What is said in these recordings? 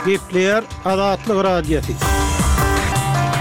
Gepleýär Azatlyk Radiosy.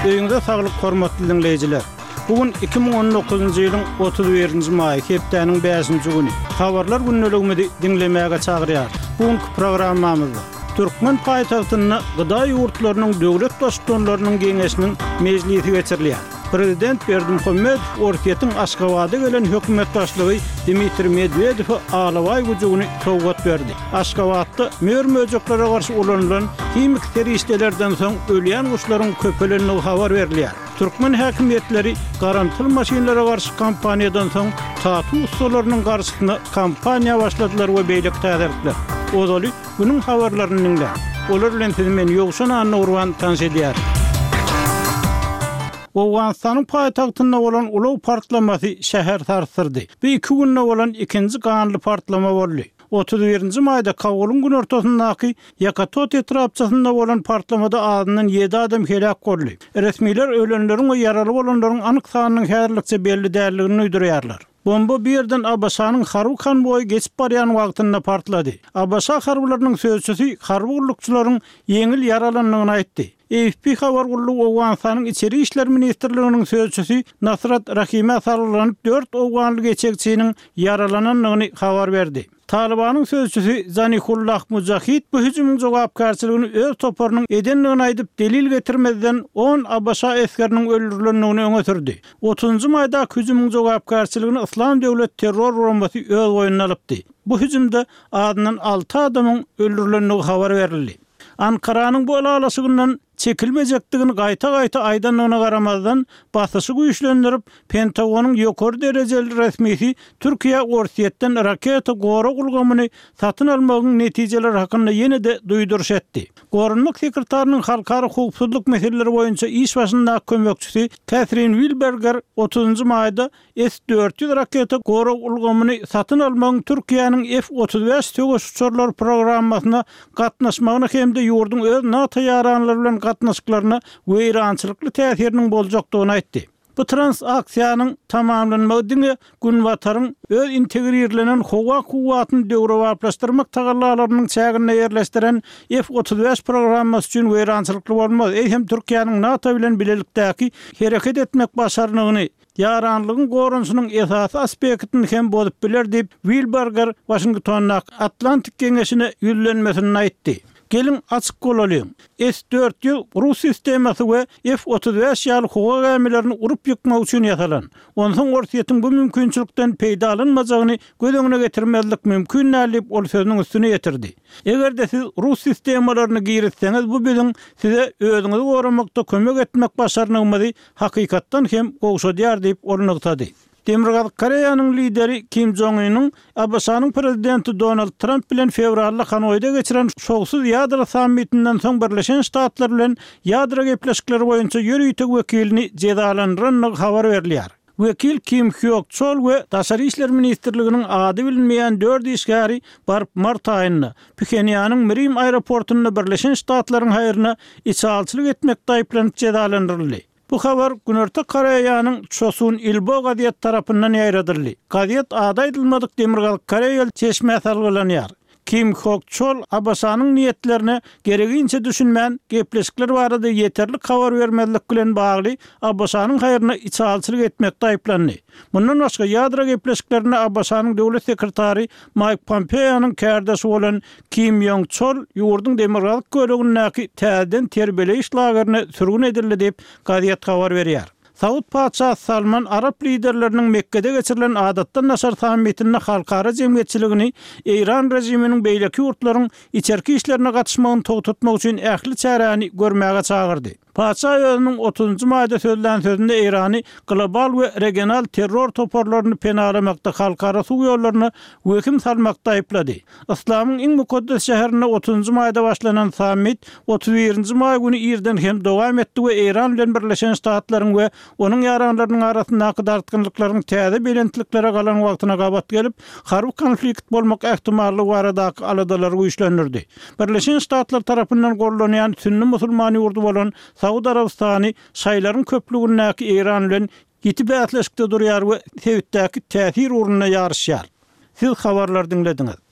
Öýüňize saglyk hormatly diňleýjiler. Bu gün 2019-njy ýylyň 31-nji maýy, hepdäniň bäşinji güni. Habarlar gündeligimizi diňlemäge çagyrýarys. Bu günki programmamyzda türkmen paýtagtynda GDA ýurtlarynyň döwlet Baştutanlarynyň Geňeşiniň mejlisi geçirilýär. Prezident Berdimuhamedow Orsýetiň Aşgabada gelen hökümet başlygy Dmitriý Medwedewe alabaý güjügini sowgat berdi. Aşgabatda mör-möjeklere garşy ulanylan himiki serişdelerden soň ölýän guşlaryň köpelendigi habar berilýär. Türkmen häkimiýetleri garamtyl maşynlara garşy kampaniýadan soň tatu ussalarynyň garşysyna kampaniýa başladylar we beýleki täzelikler. Ozaly Günüň habarlaryny diňläň. Olar bilen sizi men Ýowşan Annagurban tanyş edýärin. Owganystanyň paýtagtynda bolan ulag partlamasy şäheri sarsdyrdy. Bu iki günde bolan ikinji ganly partlama boldy. 31-nji maýda Kabulyň günortasyndaky Ýakatot etrapçasynda bolan partlamada azyndan ýedi adam heläk boldy. Resmiler ölenleriň we ýaraly bolanlaryň anyk sanynyň häzirlikçe belli däldigini duýdurýarlar. Bomba bu ýerden ABŞ-nyň harby konwoýy geçip barýan wagtynda partlady. ABŞ harbylarynyň sözçüsi harby gullukçylaryň ýeňil ýaralandygyny aýtdy. AFP habar gullugy Owganystanyň Içeri işler ministrliginiň sözçüsi Nasrat Rahimä salgylanyp dört owganly geçegçiniň ýaralanandygyny habar berdi. Talybanyň sözçüsi Zanihullah Mujahid bu hüjümiň jogapkärçiligini öz toparynyň edendigini aýdyp, delil getirmezden on ABŞ esgeriniň öldürilendigini öňe sürdi. Otuzynjy maýdaky hüjümiň jogapkärçiligini Yslam döwlet terror guramasy öz boýnuna alypdy. Bu hüjümde azyndan alty adamyň öldürilendigi habar berildi. Ankaranyň bu ylalaşygyndan çekilmejekdigini gaýta-gaýta aýdandygyna garamazdan, basyşy güýçlendirip, Pentagonyň ýokary derejeli resmisi Türkiýä Orsýetden raketa gorag ulgamyny satyn almagyň netijeleri hakynda ýene-de duýduryş etdi. Goranmak sekretarynyň halkara howpsuzlyk meseleleri boýunça iş başyndaky kömekçisi Kätrin Wilberger otuzynjy maýda S 400 raketa gorag ulgamyny satyn almagyň Türkiýäniň F 35 söweş uçarlary programmasyna gatnaşmagyna hem-de ýurduň öz NATO ýaranlary bilen gatnaşyklaryna weýrançylykly täsiriniň boljakdygyny aýtdy. Bu transaksiýanyň tamamlanmagy diňe Günbataryň öz integrirlenen howa kuwwatyny döwrebaplaşdyrmak tagallalarynyň çäginde ýerleşdiren F 35 programmasy üçin weýrançylykly bolmaz, eýsem Türkiýäniň NATO bilen bilelikdäki hereket etmek başarnygyny, ýaranlygyň goranyşynyň esasy aspektini hem bozup biler diýip, Wilberger Waşingtondaky Atlantik geňeşine ýüzlenmesinde aýtdy. Geliň, açyk bolalyň. S 400 rus sistemasy we F 35 ýaly howa gämilerini urup ýykmak üçin ýasalan. Onsoň Orsýetiň bu mümkinçilikden peýdalanmajagyny göz öňüne getirmezlik mümkin däl diýip, ol sözüniň üstüni ýetirdi. Eger-de siz rus sistemalaryny girizseňiz, bu biziň size özüňizi goramakda kömek etmek başarnygymyzy hakykatdan hem gowşadýar diýip, ol nygtady. Demirgazyk Koreýanyň lideri Kim Jong Ynyň ABŞ-nyň prezidenti Donald Tramp bilen fewralda Hanoýda geçiren şowsuz ýadro sammitinden soň Birleşen Ştatlar bilen ýadro gepleşikleri boýunça ýörite wekilini jezalandyrandygy habar berilýär. Wekil Kim Hýok Çol we Daşary işler ministrliginiň ady bilinmeýän dört işgäri baryp mart aýynda, Phenýanyň Mirim aeroportynda Birleşen Ştatlaryň haýryna içalyçylyk etmekde aýyplanyp jezalandyryldy. Bu habar Günorta Koreýanyň Chosun Ilbo gazeti tarapyndan ýaýradyldy. Gazet ady aýdylmadyk Demirgazyk koreýaly çeşmä salgylanýar. Kim Hok Çol ABŞ-nyň niýetlerine geregiňçe düşünmän, gepleşikler barada ýeterlik habar bermezlik bilen bagly ABŞ-nyň haýryna içalyçylyk etmekde aýyplandy. Mundan başga, ýadro gepleşiklerinde ABŞ-nyň döwlet sekretary Maýk Pompeonyň kärdeşi bolan Kim Ýong Çol ýurduň demirgazyk bölegindäki täzeden terbiýeleýiş lagerine sürgün edildi diýip, gazet habar berýär. Saud patyşasy Salman arap liderleriniň Mekgede geçirilen adatdan daşary sammitinde halkara jemgyýetçiligini eýran režiminiň beýleki ýurtlaryň içerki işlerine gatyşmagyny togtatmak üçin ähli çäräni görmäge çagyrdy. Patyşa özüniň otuzynjy maýda sözlän sözünde Eýrany global we regional terror toparlaryny penalamakda halkara suw ýollaryna wehim salmakda aýyplady. Yslamyň iň mukaddes şäherinde otuzynjy maýda başlanan sammit otuz birinji maý güni irden hem dowam etdi we Eýran bilen Birleşen Ştatlaryň we onuň ýaranlarynyň arasyndaky dartgynlyklaryň täze belentliklere galan wagtyna gabat gelip, harby konflikt bolmak ähtimallygy baradaky aladalary güýçlendirdi. Birleşen Ştatlar tarapyndan gollanýan sünni musulman ýurdy bolan Saud Arabystany şaýlaryň köplügindäki Eýran bilen ýiti bäsleşikde durýar we sebitdäki täsir ugrunda ýaryşýar. Siz habarlary diňlediňiz.